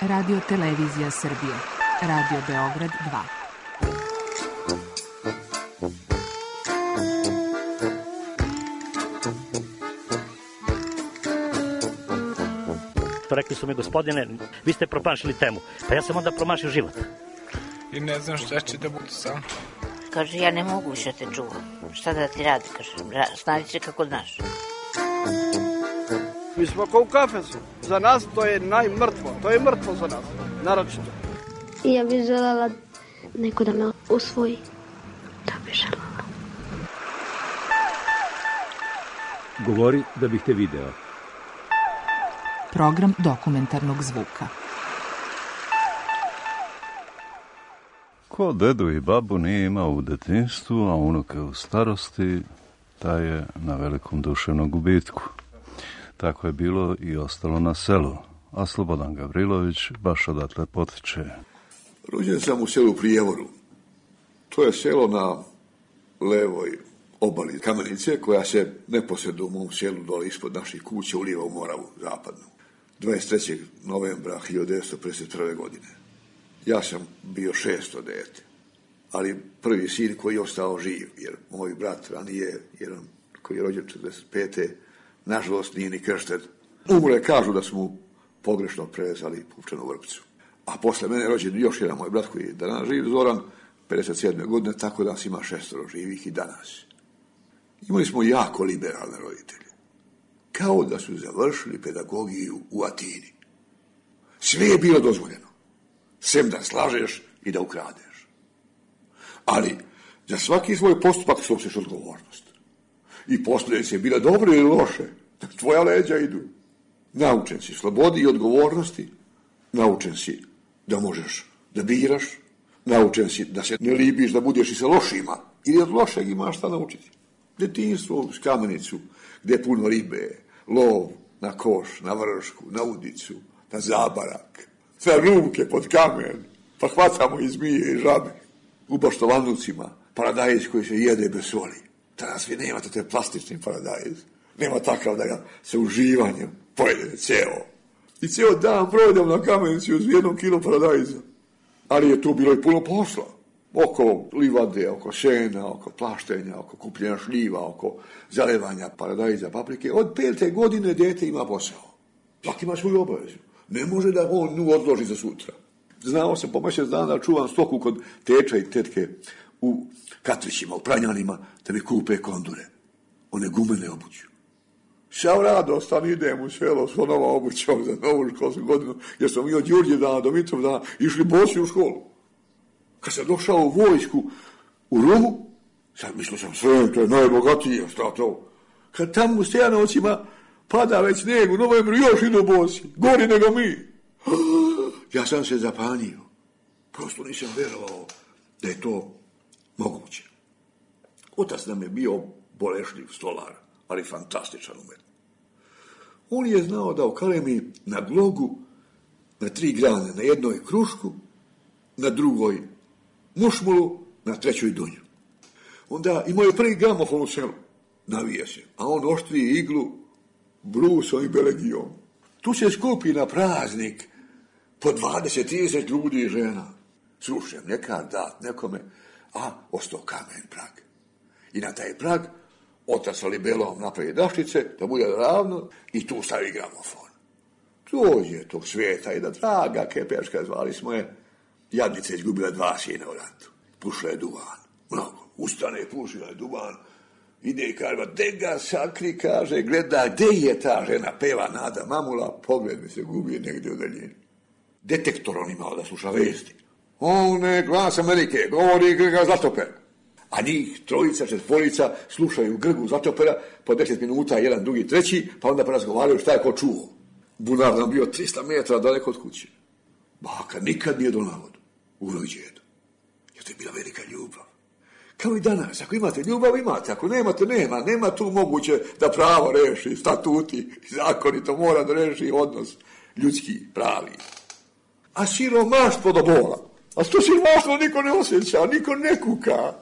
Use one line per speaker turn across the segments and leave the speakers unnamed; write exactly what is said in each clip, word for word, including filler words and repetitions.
Radio Televizija Srbije. Radio Beograd dva.
Rekli su mi, gospodine, vi ste promašili temu. Pa ja sam onda promašio život.
I ne znam šta će da bude sam.
Kaže, ja ne mogu više te čuvam. Šta da ti radi, kaže, snađi se kako znaš.
Mi smo kao u kafesu. Za nas to je najmrtvo. To je mrtvo za nas, naročito.
Ja bih željela neko da me usvoji. To bih željela.
Govori da bih te video.
Program dokumentarnog zvuka.
Ko dedu i babu nije imao u detinjstvu, a unuke u starosti, taj je na velikom duševnom gubitku. Tako je bilo i ostalo na selu, a Slobodan Gavrilović baš odatle potiče.
Rođen sam u selu Prijevoru. To je selo na levoj obali Kamenice, koja se neposredno u mom selu dole ispod naših kuća ulijeva u Moravu zapadnu. dvadeset trećeg novembra hiljadu devetsto pedeset prve. godine. Ja sam bio šesto dete, ali prvi sin koji je ostao živ, jer moj brat ranije, jedan koji je rođen četrdeset pete. nažalost nije ni kršten. Umre, kažu da su mu pogrešno prevezali pupčanu vrpcu. A posle mene je rođen još jedan moj brat koji je danas živ, Zoran, pedeset sedme. godine, tako da nas ima šestoro živih i danas. Imali smo jako liberalne roditelje. Kao da su završili pedagogiju u Atini. Sve je bilo dozvoljeno. Sem da slažeš i da ukradeš. Ali za svaki svoj postupak snosiš odgovornost. I posljedice bile dobre ili loše. Tvoja leđa idu. Naučen si slobodi i odgovornosti. Naučen si da možeš da biraš. Naučen si da se ne libiš da budeš i sa lošima. Ili od lošeg imaš šta naučiti. Detinjstvo uz Kamenicu, gdje je puno ribe, lov na koš, na vršku, na udicu, na zabarak, na ruke pod kamen, pa hvatamo i zmije i žabe. U Baštovanucima, paradajz koji se jede bez soli. Danas vi nemate te plastični paradajz. Nema takav da ga se uživanjem pojede ceo. I ceo dan provedem na Kamenici uz jednom kilo paradajza. Ali je tu bilo i puno posla. Oko livade, oko sena, oko plaštenja, oko kupljenja šljiva, oko zalevanja paradajza, paprike. Od pete godine dete ima posao. Svaki ima svoju obavezu. Ne može da on nju odloži za sutra. Znao sam po mjesec dana čuvam stoku kod teča i tetke u Katvićima, u Pranjanima, da mi kupe kondure. One gumene obuću. Šao radostan idem u selo s onova obućom za novu školsku godinu, jer smo mi od Đurđe dana do Mitrov dana išli bosi u školu. Kad sam došao u vojsku u Rumu, sad mislio sam sve, to je najbogatije, šta to? Kad tamo u Stejanovcima pada već sneg u novembru, još idu bosi, gori nego mi. Ja sam se zapanio. Prosto nisam vjerovao da je to moguće. Otac nam je bio bolešljiv stolar, ali fantastičan umet. On je znao da okalemi na glogu, na tri grane, na jednoj krušku, na drugoj mušmulu, na trećoj dunju. Onda imaju prvi gramofon u selu, navije se, a on oštri iglu brusom i belegijom. Tu se skupi na praznik po dvadeset trideset ljudi i žena. Slušaj, nekad dat nekome, a ostao kamen prag. I na taj prag otac sa libelom napravi daščice, da bude ravno, i tu stavi gramofon. Dođe tog svijeta i da draga Kepeška, zvali smo je, jadnica je izgubila dva sina u ratu. Pušla je duvan, mnogo. Ustane, pušila je duvan, ide i kaže, de ga sakri, kaže, gleda, gde je ta žena, peva Nada Mamula, pogled mi se gubi negdje u daljini. Detektor on imao da sluša vesti. On je glas Amerike, govori Grga Zlatoper. A njih trojica, četvorica slušaju Grgu Zlatopera po deset minuta, jedan, drugi, treći, pa onda porazgovaraju šta je ko čuo. Bunar nam bio trista metara daleko od kuće. Baka nikad nije donala vodu. Uvijek djedo. Jer to je bila velika ljubav. Kao i danas, ako imate ljubav, imate. Ako nemate, nema. Nema tu moguće da pravo reši, statuti, zakoni, to mora da reši odnos ljudski, pravi. A siromaštvo do bola. A to siromaštvo niko ne osjeća, niko ne kuka.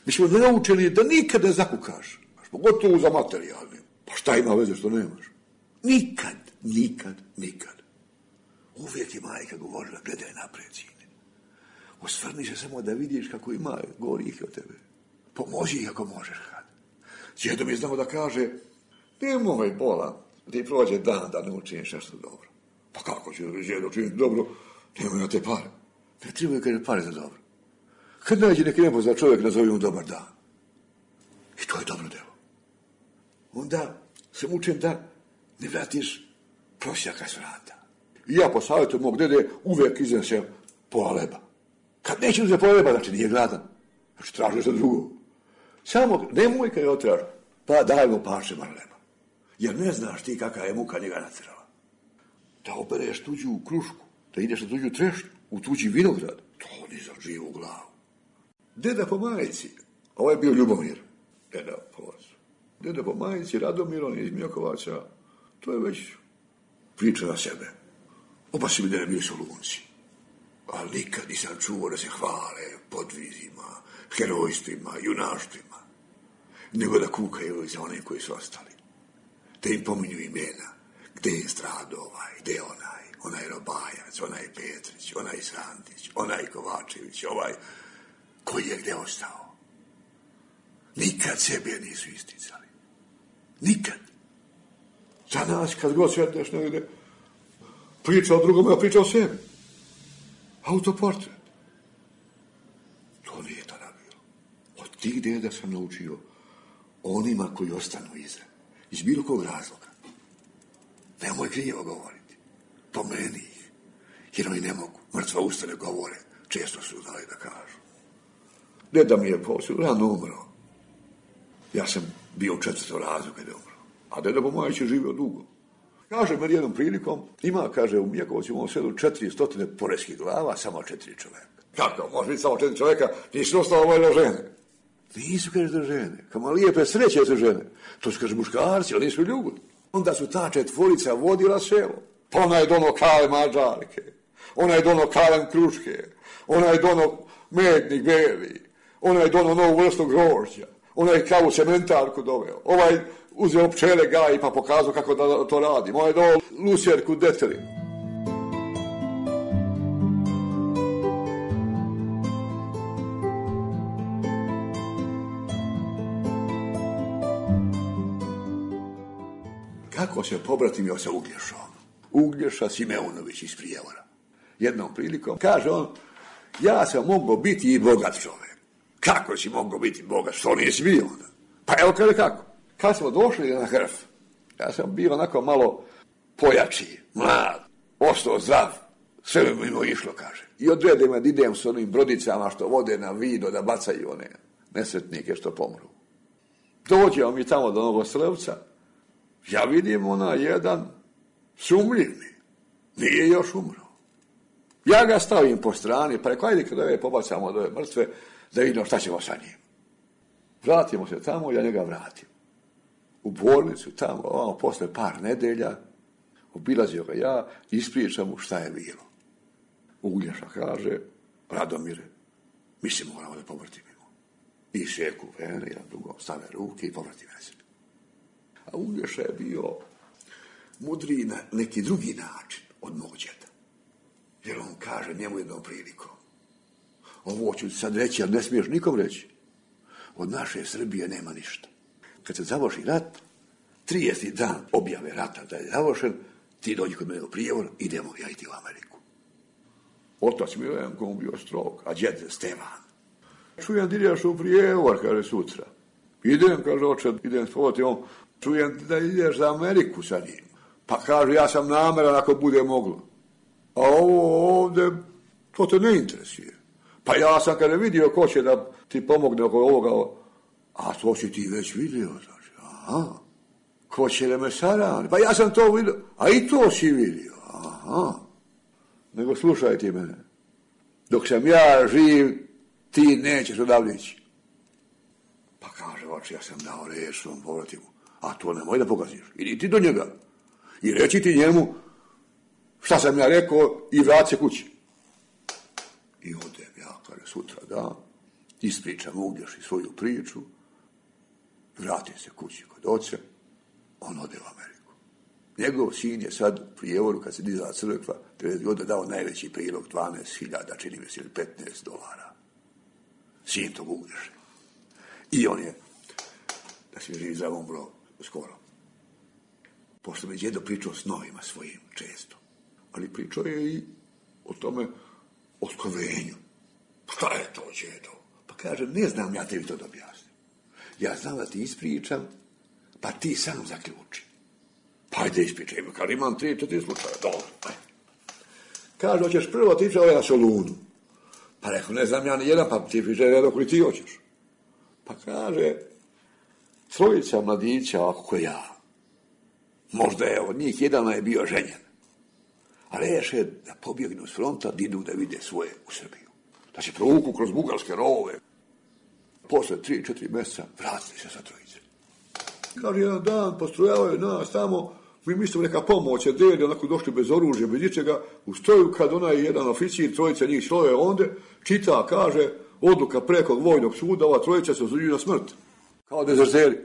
Mi smo naučeni da nikada ne zakukaš. Pogotovo za materijalne. Pa šta ima veze što nemaš? Nikad, nikad, nikad. Uvijek je majka govorila, gledaj naprijed, sine. Osvrni se samo da vidiš kako ima gorih od tebe. Pomozi ih ako možeš, kad. Djedo mi je znao da kaže, nemoj bola, ti prođe dan da ne učiniš nešto dobro. Pa kako će djedo učiniti dobro? Nemoj na te pare. Ne trebaju kaže pare za dobro. Kad nađe neki nepoznan čovjek, nazovi mu dobar dan. I to je dobro delo. Onda se mučem da ne vratiš prosjaka s vrata. I ja po savjetu mog dede uvijek iznesem pola leba. Kad neće uzeti pola leba, znači nije gladan. Znači traži za drugo. Samo nemoj kad je otraži, pa daj mu parče bar leba. Jer ne znaš ti kakva je muka njega natrala. Da obereš tuđu krušku, da ideš na tuđu trešnju, u tuđi vinograd, to ni za živu glavu. Deda po majici, ovo je bio Ljubomir, deda po ocu. Deda po majici, Radomir, on je iz Mjokovaca, to je već priča na sebe. Oba si mi dede bili su lunci. Ali nikad nisam čuo da se hvale podvizima, herojstvima, junaštvima, nego da kukaju za one koji su ostali. Da im pominju imena, gde je strado ovaj, gde je onaj, onaj Robajac, onaj Petrić, onaj Sandić, onaj Kovačević, ovaj, koji je gde ostao. Nikad sebe nisu isticali. Nikad. Za nas, kad god sjedneš negdje, priča o drugome, a priča o sebi. Autoportret. To nije tada bilo. Od tih deda sam naučio onima koji ostanu iza. Iz bilo kog razloga. Nemoj krivo govoriti. Pomeni ih. Jer oni ne mogu. Mrtva usta ne govore. Često su znali da kažu. Deda mi je poslije rano umro. Ja sam bio u četvrtom razredu kada je umro. A deda Pomajić je živio dugo. Kaže meni jednom prilikom, ima, kaže, u Mjekovcu imamo selu četiri stotine poreskih glava, samo četiri čoveka. Kako, može biti samo četiri čoveka, nisu ostalo vojne žene. Nisu, kaže, da žene. Kama lijepe sreće su žene. To su, kaže, muškarci, ali nisu ljudi. Onda su ta četvorica vodila selo. Pa ona je dono kale mađarke, ona je dono kalen kruške, ona je dono mednik beli, ona je dono novu vrstu grožđa, ona je kavu cementarku doveo, ovaj uzeo pčele gaji pa pokazao kako da to radi, ovaj je doveo lusjerku detelinu. Kako se pobratimio sa Uglješom? Uglješa Simeunović iz Prijevora. Jednom prilikom kaže on, ja sam mogao biti i bogat čovjek. Kako si mogao biti bogat? Što nisi bio onda? Pa evo kaže kako. Kad smo došli na Hrf, ja sam bio onako malo pojači, mlad, ostao zdrav. Sve mi mimo išlo, kaže. I odrede me da idem s onim brodicama što vode na Vido da bacaju one nesretnike što pomru. Dođemo mi tamo do Novoselevca. Ja vidim ona jedan sumljivni. Nije još umro. Ja ga stavim po strani, pa rekao, ajde kada ove pobacamo od ove mrtve, da vidimo šta ćemo sa njim. Vratimo se tamo, ja njega vratim. U bolnicu tamo, ovamo, posle par nedelja, obilazio ga ja, ispričam mu šta je bilo. Uglješa kaže, Radomire, mi se moramo da povrtimo. I šeku vene, jedan drugom stave ruke i povrtime se. A Uglješa je bio mudriji na neki drugi način od mog djeda. Jer on kaže njemu jednom prilikom, ovo ću sad reći, ali ne smiješ nikom reći. Od naše Srbije nema ništa. Kad se završi rat, trideseti dan objave rata da je završen, ti dođi kod mene u Prijevor, idemo ja i ti u Ameriku. Otac Milenko on bio strog, a djed Stevan. Čujem da ideš u Prijevor, kaže sutra. Idem, kaže oče, idem spavati, on, čujem da ideš za Ameriku sa njim. Pa kaže, ja sam nameran ako bude moglo. A ovo ovdje, to te ne interesuje. Pa ja sam kada vidio ko će da ti pomogne oko ovoga, a to si ti već vidio, znači, aha, ko će da me sarani, pa ja sam to vidio, a i to si vidio, aha. Nego slušaj ti mene, dok sam ja živ, ti nećeš odavde ići. Pa kaže, oče, ja sam dao reč svom povratimu, a to nemoj da pokaziš, idi ti do njega i reći ti njemu šta sam ja rekao i vrati se kući. I odem ja, kada sutra da, ispričam Uglješi svoju priču, vratim se kući kod oca, on ode u Ameriku. Njegov sin je sad u Prijevoru, kad se dizala crkva, devedeset godina dao najveći prilog, dvanaest hiljada, čini mi se, ili petnaest dolara. Sin tog Ugriše. I on je, da se živi za umro skoro. Pošto mi je djedo pričao s novima svojim često. Ali pričao je i o tome, o skrovenju. Šta je to, djedo? Pa kaže, ne znam ja tebi to da objasnim. Ja znam da ti ispričam, pa ti sam zaključi. Pa ajde ispričaj, kaže, imam tri, četiri slučaja. Dobro, ajde. Kaže, hoćeš prvo ti pričaj na Solunu. Pa rekao, ne znam ja ni jedan, pa ti pričaj jedno koji ti hoćeš. Pa kaže, trojica mladića, ako ja, možda je od njih jedan je bio ženjen. A reše da pobjegnu s fronta, da idu da vide svoje u Srbiju. Da se provuku kroz bugarske rovove. Posle tri, četiri mjeseca vratili se sa trojice. Kaže, jedan dan postrojavaju nas tamo, mi mislimo neka pomoć, jer deli onako došli bez oružja, bez ničega, u stoju kad onaj jedan oficir, trojica njih slove onde, čita, kaže, odluka prekog vojnog suda, ova trojica se osuđuju na smrt. Kao dezerteri.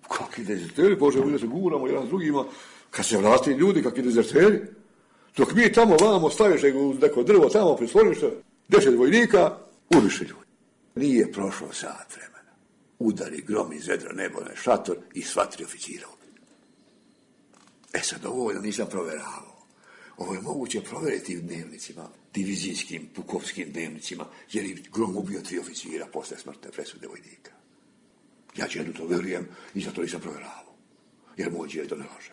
Kakvi dezerteri, Bože, mi da se guramo jedan s drugima, kad se vratili ljudi, kakvi dezerteri. Dok mi tamo vamo staviš neko drvo tamo prislonište, deset vojnika, ubiše ljudi. Nije prošlo sat vremena. Udari grom iz vedra nebo na šator i sva tri oficira ubili. E sad, ovo da nisam proveravao. Ovo je moguće provjeriti u dnevnicima, divizijskim, pukovskim dnevnicima, jer je grom ubio tri oficira posle smrtne presude vojnika. Ja djedu to verujem i zato nisam provjeravao. Jer moj djedo ne laže.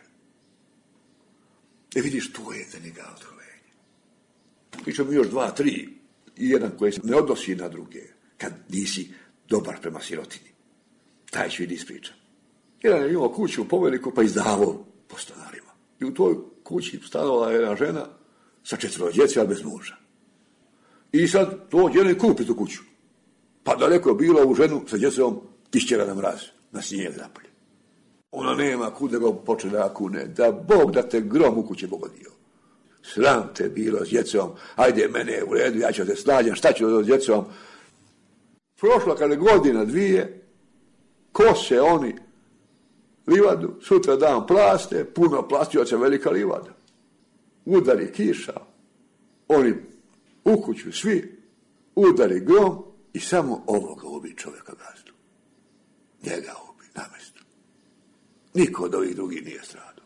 E vidiš, to je za njega otkrovenje. Pričam još dva, tri, i jedan koji se ne odnosi na druge, kad nisi dobar prema sirotinji. Taj ću vidi ispričam. Jedan je imao kuću u Poveliku, pa izdavao po stanarima. I u toj kući stanovala jedna žena sa četvero djece, ali bez muža. I sad to djene kupi tu kuću. Pa daleko je bila u ženu sa djecom išćera na mraz, na snijeg napolje. Ona nema kud da ga počne da kune, da Bog da te grom u kuće pogodio. Sram te bilo s djecom, ajde mene u redu, ja ću te snađam, šta ću da s djecom. Prošla kada godina dvije, kose oni livadu, sutra dan plaste, puno plastioca, velika livada. Udari kiša, oni u kuću svi, udari grom i samo ovoga ubi čovjeka gazdu. Njega ubi na mjestu. Niko od ovih drugih nije stradao.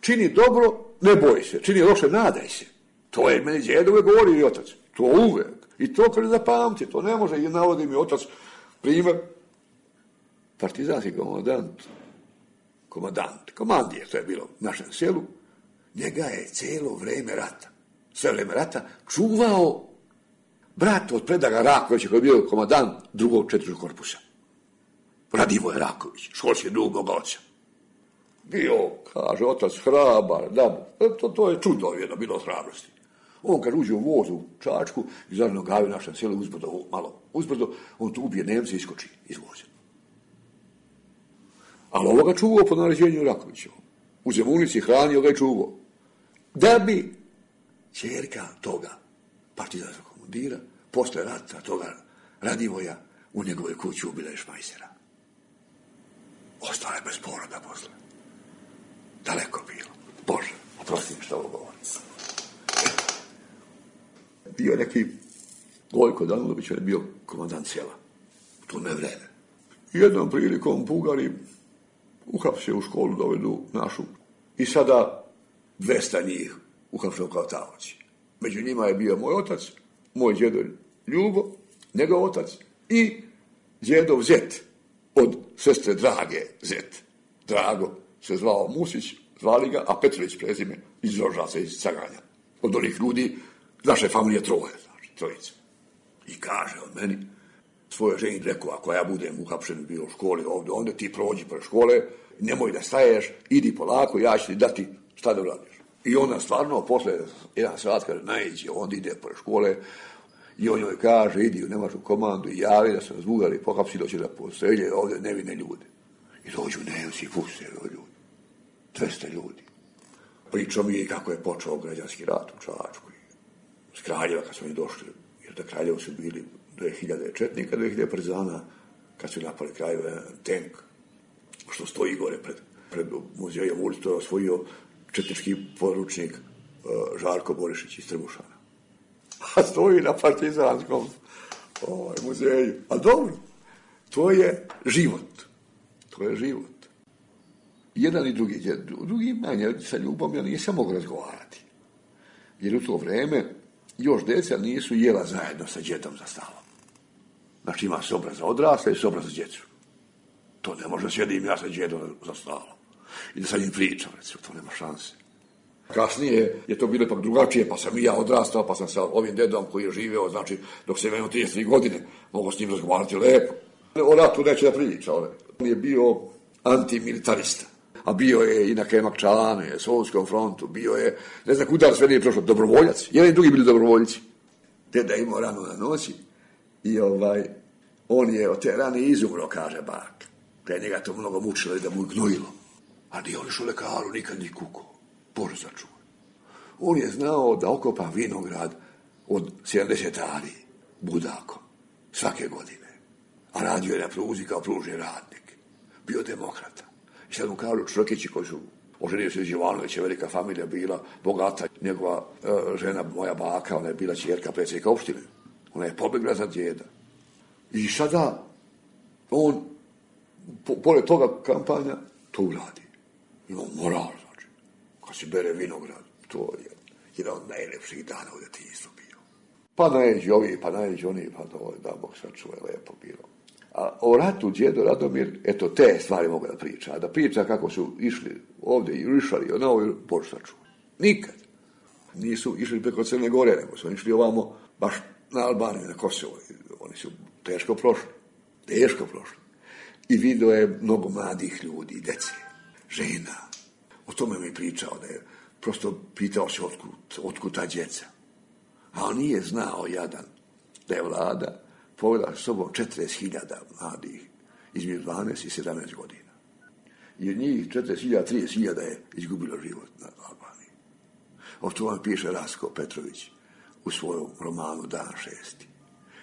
Čini dobro, ne boj se. Čini loše, nadaj se. To je meni djedo uvijek govori i otac. To uvijek. I to kada zapamti, to ne može. I navodi mi otac primjer. Partizanski komandant, komandant, komandir, to je bilo u našem selu, njega je cijelo vrijeme rata, sve vrijeme rata, čuvao brat od Predraga Rakovića, koji je bio komandant drugog četvrtog korpusa. Radivoje Raković, školski drug moga oca. Bio, kaže, otac hrabar, da, to, to je čudo jedno, bilo od hrabrosti. On kad uđe u voz u Čačku, iz Zornog Gavi u našem selu, uzbrdo, malo uzbrdo, on tu ubije Nemce i iskoči iz voza. Ali ovo ga čuvao po naređenju Rakovićevom. U Zemunici hranio ga i čuvao. Da bi ćerka toga partizanskog komandira, posle rata toga Radivoja, u njegove kući ubila je Šmajsera. Ostala je bez poroda posle. Daleko bilo. Bože, oprosti mi što ovo govorim. Bio neki Gojko Danulović, on je bio komandant sela. U tome vreme. Jednom prilikom Bugari uhapsio u školu, dovedu našu. I sada dvesta njih uhapsio kao taoci. Među njima je bio moj otac, moj djedo Ljubo, njegov otac i djedov zet od sestre Drage zet. Drago se zvao Musić, zvali ga, a Petrović prezime iz Rožaca, iz Caganja. Od onih ljudi naše familije troje, znači, trojice. I kaže on meni, svojoj ženi rekao, ako ja budem uhapšen bio u školi ovdje, onda ti prođi pre škole, nemoj da staješ, idi polako, ja ću ti dati šta da uradiš. I ona stvarno, posle jedan sat, kaže, naiđe, onda ide pre škole i on joj kaže, idi u nemačku komandu i javi da se razbugali, pohapsi doće da postrelje ovdje nevine ljude. I dođu Nemci i puste ljudi. dvesta ljudi. Pričao mi je kako je počeo građanski rat u Čačku. S Kraljeva kad smo i došli, jer da Kraljevo su bili dve hiljade četnika, dve hiljade partizana, kad su napali krajeve tank, što stoji gore pred, pred muzejom ulicu, to je osvojio četnički poručnik uh, Žarko Borišić iz Trbušana. A stoji na partizanskom ovaj, muzeju. A dobro, to je život. To je život. Jedan i drugi, drugi manje sa ljubom ja nisam mogu razgovarati. Jer u to vreme još djeca nisu jela zajedno sa djedom za stalom. Znači ima sobra za odrasle i sobra za djecu. To ne može sjedim ja sa djedom za stalom. I da sa njim pričam, recimo, to nema šanse. Kasnije je to bilo ipak drugačije, pa sam i ja odrastao, pa sam sa ovim dedom koji je živeo, znači, dok sam imao trideset tri godine, mogu s njim razgovarati lepo. O ratu neće da priča, on je bio antimilitarista. A bio je i na Kemakčane, Solskom frontu, bio je, ne znam kuda sve nije prošlo, dobrovoljac. Jedan i drugi bili dobrovoljci. Deda imao ranu na noći i ovaj, on je od te rane izumro, kaže bak. Da je njega to mnogo mučilo i da mu je gnojilo. A nije on išao lekaru, nikad ni kuko. Bože sačuvaj. On je znao da okopa vinograd od sedamdeset ari budakom svake godine. A radio je na pruzi kao pružni radnik. Bio demokrata. I sad mu kažu Črkići koji su oženio se iz Jovanovića, velika familija bila, bogata. Njegova e, žena, moja baka, ona je bila ćerka predsjednika opštine. Ona je pobjegla za djeda. I sada on, po, pored toga kampanja, to uradi. Ima moral, znači. Kad se bere vinograd, to je jedan od najlepših dana u djetinjstvu bio. Pa najeđi ovi, pa najeđi oni, pa to da Bog sačuva, je lepo bilo. A o ratu djedo Radomir, eto, te stvari mogu da priča. A da priča kako su išli ovdje i rišali, ono ovo, Bože sačuva. Nikad. Nisu išli preko Crne Gore, nego su išli ovamo, baš na Albaniju, na Kosovo. Oni su teško prošli. Teško prošli. I vidio je mnogo mladih ljudi, dece, žena. O tome mi pričao, da je prosto pitao se otkud, otkud ta djeca. A on nije znao, jadan, da je vlada povela s sobom četrdeset hiljada mladih između dvanaest i sedamnaest godina. I od njih četrdeset hiljada, trideset hiljada je izgubilo život na Albaniji. O tome piše Rasko Petrović u svojom romanu Dan šesti.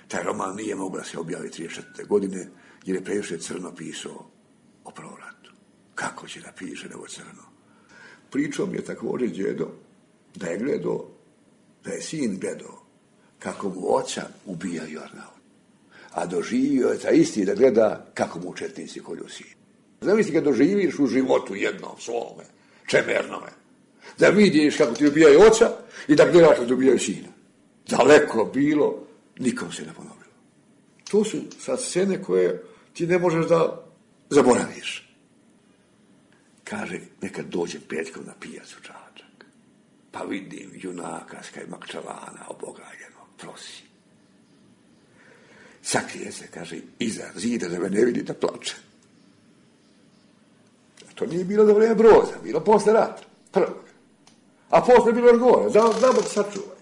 Taj roman nije mogla se objaviti trideset četvrte godine jer je previše crno pisao o prvom ratu. Kako će da piše nego crno? Pričao mi je također djedo da je gledao, da je sin gledao kako mu oca ubija Jornau. A doživio je ta isti da gleda kako mu četnici kolju sin. Zamisli kad doživiš u životu jednom svome, čemernome, da vidiš kako ti ubijaju oca i da gledaš kako ti ubijaju sina. Daleko bilo, nikom se ne ponovilo. To su sad scene koje ti ne možeš da zaboraviš. Kaže, nekad dođem petkom na pijacu Čačak, pa vidim junaka s Kajmakčalana obogaljeno, prosi. Sakrije se, kaže, iza zida da me ne vidi da plače. To nije bilo za vreme Broza, bilo posle rata, prvog. A posle bilo još gore, da, da Bog sačuvaj.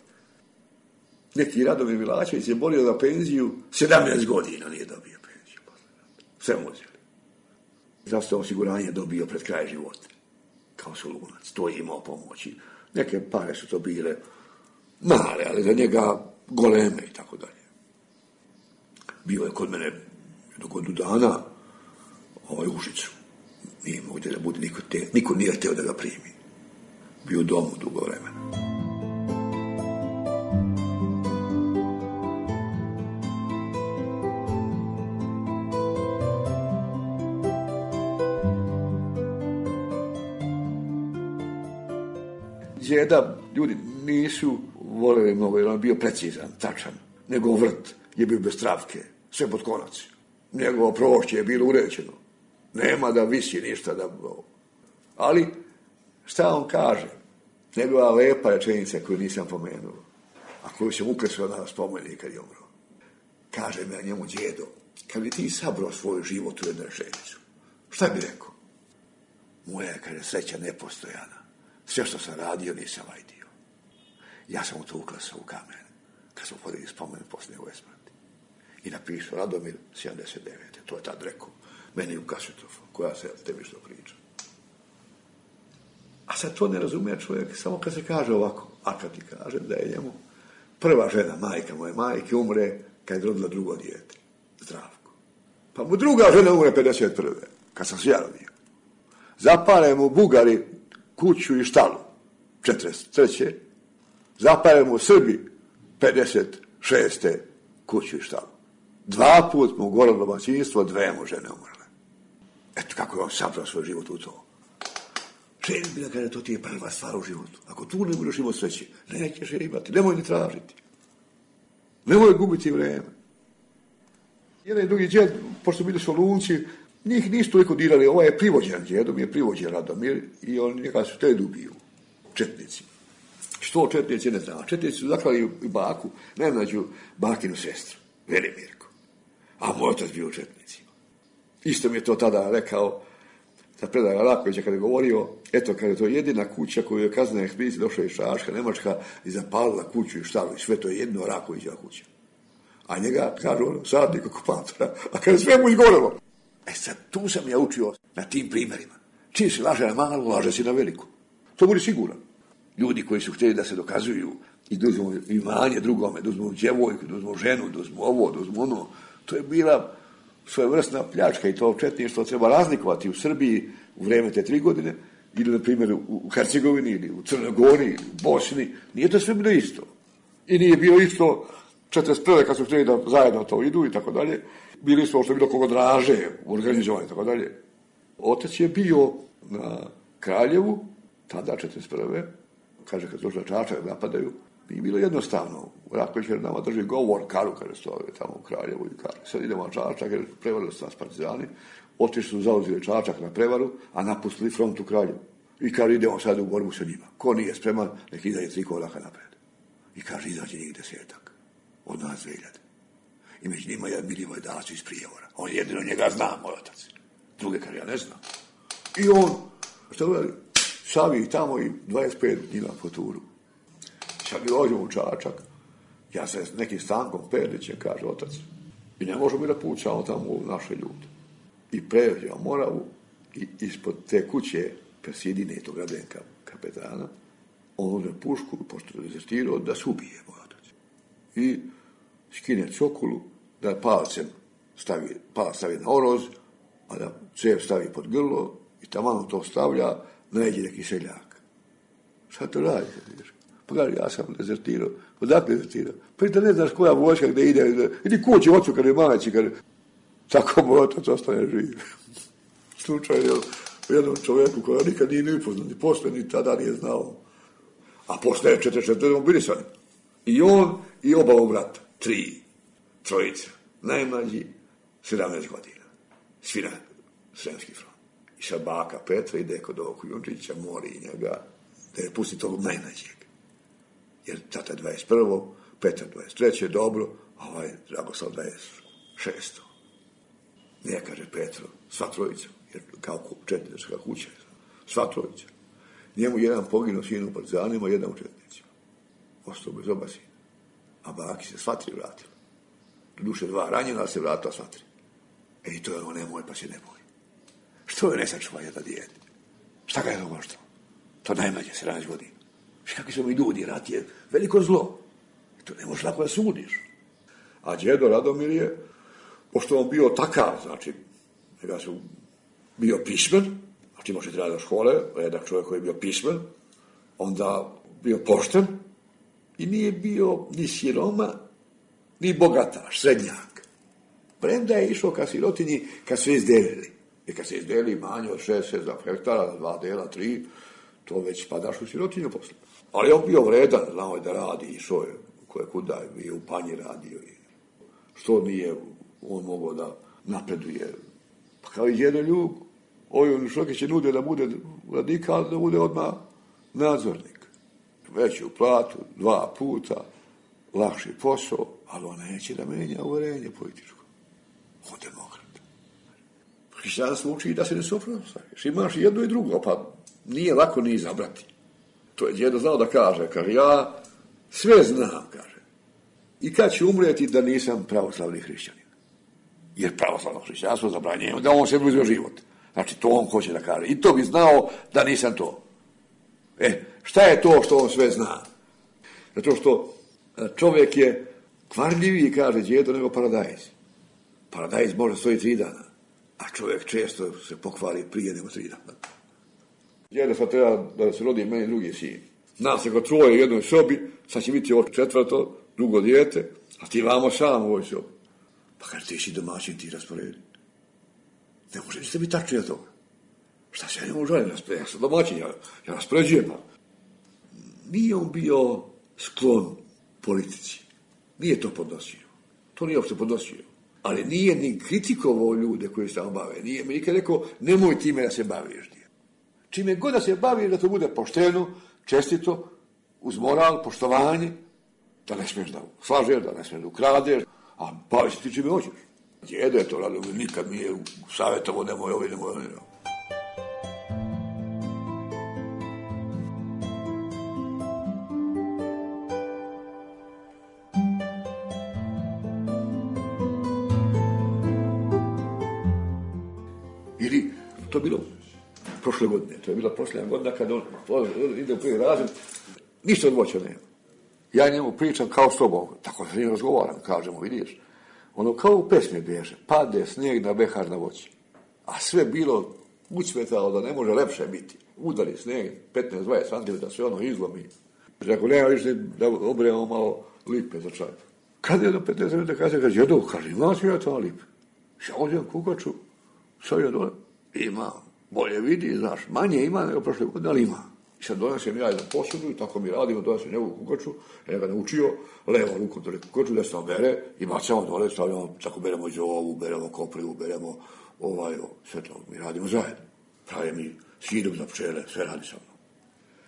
Neki Radomir Milačević je bolio za penziju, sedamnaest godina nije dobio penziju posle rata. Sve mu uzeli. Zdravstveno osiguranje dobio pred kraj života. Kao Solunac, to je imao pomoći. Neke pare su to bile male, ali za njega goleme i tako dalje. Bio je kod mene jednog godinu dana ovaj Užicu. Nije mogu da bude, niko, te, niko nije hteo da ga primi. Bio u domu dugo vremena. Djeda, ljudi nisu voljeli mnogo, jer on bio precizan, tačan. Njegov vrt je bio bez travke, sve pod konac. Njegovo prošće je bilo uređeno. Nema da visi ništa. Da... Ali, šta on kaže? Njegova lepa rečenica koju nisam pomenuo, a koju sam ukresao na spomenik kad je umro. Kaže me njemu djedo, kad bi ti sabrao svoj život u jednu rečenicu, šta bi rekao? Moja je, kaže, sreća nepostojana. Sve što sam radio nisam vajdio. Ja sam u to uklasao u kamen, kad sam podigli spomen posle njegove smrti. I napisao Radomir sedamdeset devete. To je tad rekao. Meni u kasetofon, koja se tebi što priča. A sad to ne razumije čovjek samo kad se kaže ovako. A kad ti kaže da je njemu prva žena, majka moje majke, umre kad je rodila drugo dijete. Zdravko. Pa mu druga žena umre pedeset prve kad sam se ja rodio. Zapale mu Bugari kuću i štalu, četrdeset treće Zapale mu Srbi pedeset šeste kuću i štalu. Dva put mu gorelo domaćinstvo, dve mu žene umrle. Eto kako je on sabrao svoj život u to. Ženi bi da kaže, to ti je prva stvar u životu. Ako tu ne budeš imati sreće, nećeš je imati, nemoj ni tražiti. Nemoj gubiti vreme. Jedan i drugi djed, pošto bili su Solunci, njih nisu toliko dirali, ovaj je privođen djedom, je privođen Radomir i on njega su te ubiju, četnici. Što četnici ne zna? Četnici su zaklali i baku, najmlađu bakinu sestru, Velimirku. A moj otac bio u četnicima. Isto mi je to tada rekao, za predaja Rakovića kada je govorio, eto, kada je to jedina kuća koju je kaznena ekspedicija došla iz Čačka, Nemačka, i zapalila kuću i štalu i sve to je jedno Rakovićeva kuća. A njega, kažu ono, sadnik okupatora, a kada sve mu izgorelo. E sad, tu sam ja učio na tim primjerima. Čim si laže na malu, laže si na veliku. To budi siguran. Ljudi koji su htjeli da se dokazuju i da uzmu imanje drugome, da uzmu djevojku, da uzmu ženu, da uzmu ovo, da uzmu ono, to je bila svojevrsna pljačka i to četništvo treba razlikovati u Srbiji u vrijeme te tri godine, ili na primjer u Hercegovini, ili u Crnoj Gori, ili u Bosni. Nije to sve bilo isto. I nije bilo isto četrdeset prve kad su htjeli da zajedno to idu i tako dalje. Bili smo što je bilo kogo draže u organizovanju i tako dalje. Otac je bio na Kraljevu, tada četrdeset prve kaže kad došla Čačak napadaju, nije bilo jednostavno. Raković jer nama drži govor, Karu kada stoje tamo u Kraljevu i kaže, sad idemo na Čačak jer prevarili su nas partizani, otišli su zauzeli Čačak na prevaru, a napustili front u Kraljevu. I kaže idemo sad u borbu sa njima. Ko nije spreman, nek izađe tri koraka napred. I kaže izađe njih desetak, od nas dve hiljade. I među njima je Milivoj Dacić iz Prijevora. On jedino njega zna, moj otac. Druge kaže, ja ne znam. I on, što gleda, savi tamo i dvadeset pet njima po turu. Sad mi dođemo u Čačak, ja se s nekim Stankom Perlićem, kaže otac, i ne možemo mi da pućamo tamo u naše ljude. I pređemo Moravu i ispod te kuće Persidine, tog Radenka kapetana, on uzme pušku, pošto je dezertirao, da se ubije, moj otac. I skine cokulu, da palcem stavi, palac stavi na oroz, a da cev stavi pod grlo i tamo to stavlja, nađe neki seljak. Šta to radi? Pa gledaj, ja sam dezertirao. Odakle dezertirao? Pa i da ne znaš koja vojska gde ide, gde, idi kući ocu kada je maći, kada tako moj otac ostane živ. Slučaj je u jednom čovjeku koja nikad nije ni upoznat, ni posle, ni tada nije znao. A posle je četrdeset četvrte mobilisani. I on i oba brata, tri, trojica, najmlađi, sedamnaest godina. Svi na Sremski front. I sad baka Petra ide kod ovog Junčića, mori njega, da je pusti tog najmlađeg. Jer tata je dvadeset prvo, Petar dvadeset treće dobro, a ovaj Dragoslav dvadeset šesto Ne kaže Petro, sva trojica, jer kao četnička kuća, sva trojica. Njemu jedan poginuo sin u partizanima, jedan u četnicima. Ostao bez oba sina. A baki se sva tri vratila. Duše dva ranjena, ali se vratila sva tri. E i to je ono nemoj, pa se ne boj. Što je nesačuva jedna dijete? Šta ga je to koštalo? To najmanje, sedamnaest godina. Kakvi su mi ljudi, rat je veliko zlo. I to ne možeš lako da sudiš. A djedo Radomir je, pošto on bio takav, znači, njega su bio pismen, znači može treba do škole, redak čovjek koji je bio pismen, onda bio pošten i nije bio ni siroma, ni bogataš, srednjak. Premda je išao ka sirotinji kad su izdelili. I kad se izdeli manje od šest sedam hektara, na dva dela, tri, to već spadaš u sirotinju posle. Ali on bio vredan, znao je da radi, išao je koje kuda je u Panji radio. I što nije on mogao da napreduje. Pa kao i jedan ljub, ovaj on Šokić je nudio da bude radikal, da bude odmah nadzornik. Veću platu, dva puta, lakši posao, ali on neće da menja uverenje političko. On demokrat. Hrišćanstvo uči da se ne suprotstaviš. Imaš jedno i drugo, pa nije lako ni izabrati. To je djedo znao da kaže, kaže, ja sve znam, kaže. I kad ću umreti da nisam pravoslavni hrišćanin. Jer pravoslavno hrišćanstvo zabranjuje, da on sebi uzme život. Znači, to on hoće da kaže. I to bi znao da nisam to. E, šta je to što on sve zna? Zato što čovjek je kvarljiviji, kaže djedo, nego paradajz. Paradajz može stoji tri dana, a čovjek često se pokvari prije nego tri dana. Djedo sad treba da se rodi meni drugi sin. Nas je kod troje u jednoj sobi, sad će biti ovo četvrto, drugo dijete, a ti vamo sam u ovoj sobi. Pa kaže, ti si domaćin, ti rasporedi. Ne može niste biti tačnije od toga. Šta se ja njemu želim rasporedi? Ja sam domaćin, ja, ja raspoređujem. Nije on bio sklon politici. Nije to podnosio. To nije uopšte podnosio. Ali nije ni kritikovao ljude koji se tamo bave. Nije mi nikad rekao, nemoj time da se baviš. Čime god da se bavi, da to bude pošteno, čestito, uz moral, poštovanje, da ne smiješ da slažeš, da ne smiješ da ukradeš, a bavi se ti čime hoćeš. Djedo je to radio, nikad mi je savjetovo, nemoj ovi, nemoj ovi. Ili, to bilo prošle godine, to je bila prošle godina kad on ide u prvi razred, ništa od voća nema. Ja njemu pričam kao s tobom, tako se njim razgovaram, kažemo, vidiš, ono kao u pesmi bježe, pade snijeg na behar na voći, a sve bilo ucvetalo da ne može lepše biti. Udari snijeg, petnaest dvadeset centimetara, sve ono izlomi. Ako nema više da obremo malo lipe za čaj. Kad je do petnaest minuta kaže, kaže, jedo, kaže, imam ću ja to lipe. Ja odjem kukaču, sad je dole, imam. Bolje vidi, znaš, manje ima nego prošle godine, ali ima. I sad donesem ja jedan posudu i tako mi radimo, donesem njegovu kukaču, ja ga naučio, levo rukom dole kukaču, desno bere i bacamo dole, stavljamo, tako beremo zovu, beremo koprivu, beremo ovaj, sve to mi radimo zajedno. Pravi mi sirup za pčele, sve radi sa mnom.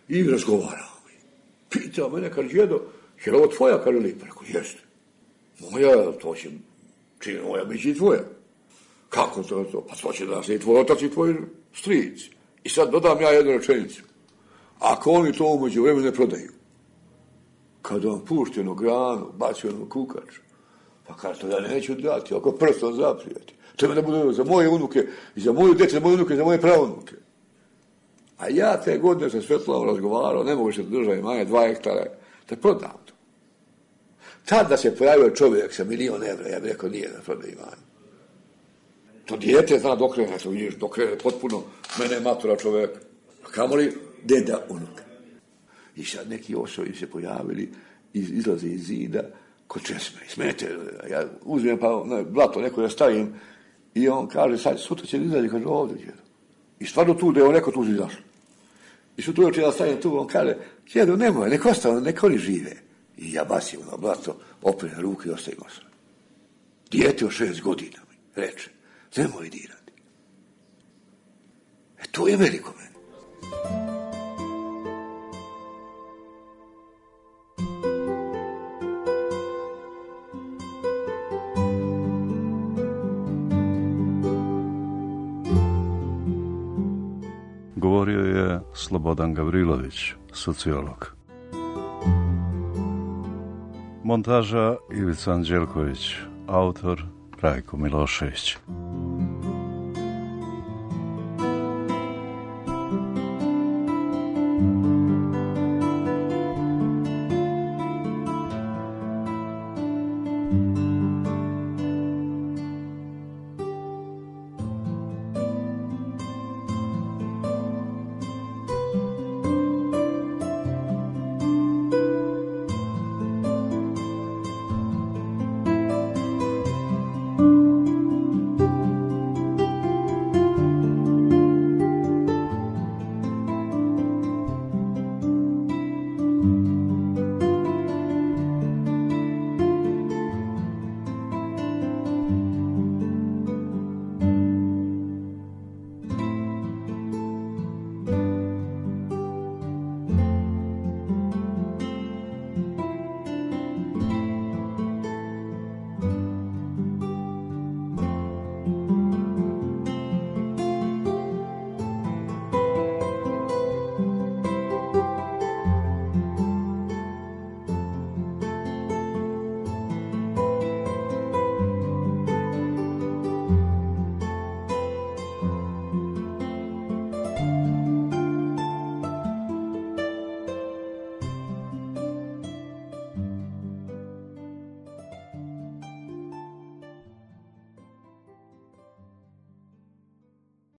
I razgovaramo mi. Pitao mene, kaže, djedo, je li ovo tvoja, kaže lipa? Rekao, jeste. Moja, to će, čini moja, bit će i tvoja. Kako to je to? Pa to će da se i tvoj otac i tvoj stric. I sad dodam ja jednu rečenicu. Ako oni to umeđu vremenu ne prodaju, kad vam pušti jednu granu, baci jednu kukaču, pa kaže to ja neću dati, ako prstom zaprijeti. Treba da bude za moje unuke, i za moju djecu, za moje unuke, i za moje pravunuke. A ja te godine sa Svetlavom razgovarao, ne mogu se držati manje, dva hektara, da prodam to. Tad da se pojavio čovjek sa milion evra, ja bih rekao nije da prodaje imanje. To dijete zna dokrene, to vidiš, dokrene potpuno, mene matura čovjeka. A kamoli deda unuka. I sad neki osobi se pojavili, iz, izlaze iz zida, kod česme, smete, ja uzmem pa ne, blato neko da stavim i on kaže, sad sutra će izađe, kaže, ovdje djedo. I stvarno tu da je on neko tu izašlo. I sutra uveče da stavim tu, on kaže, djedo, nemoj, nek ostane, nek oni žive. I ja basim na blato, opre ruke i ostavim se. Dijete od šest godina mi reče, nemoj dirati. E to je veliko meni.
Govorio je Slobodan Gavrilović, sociolog. Montaža Ivica Anđelković, autor Rajko Milošević.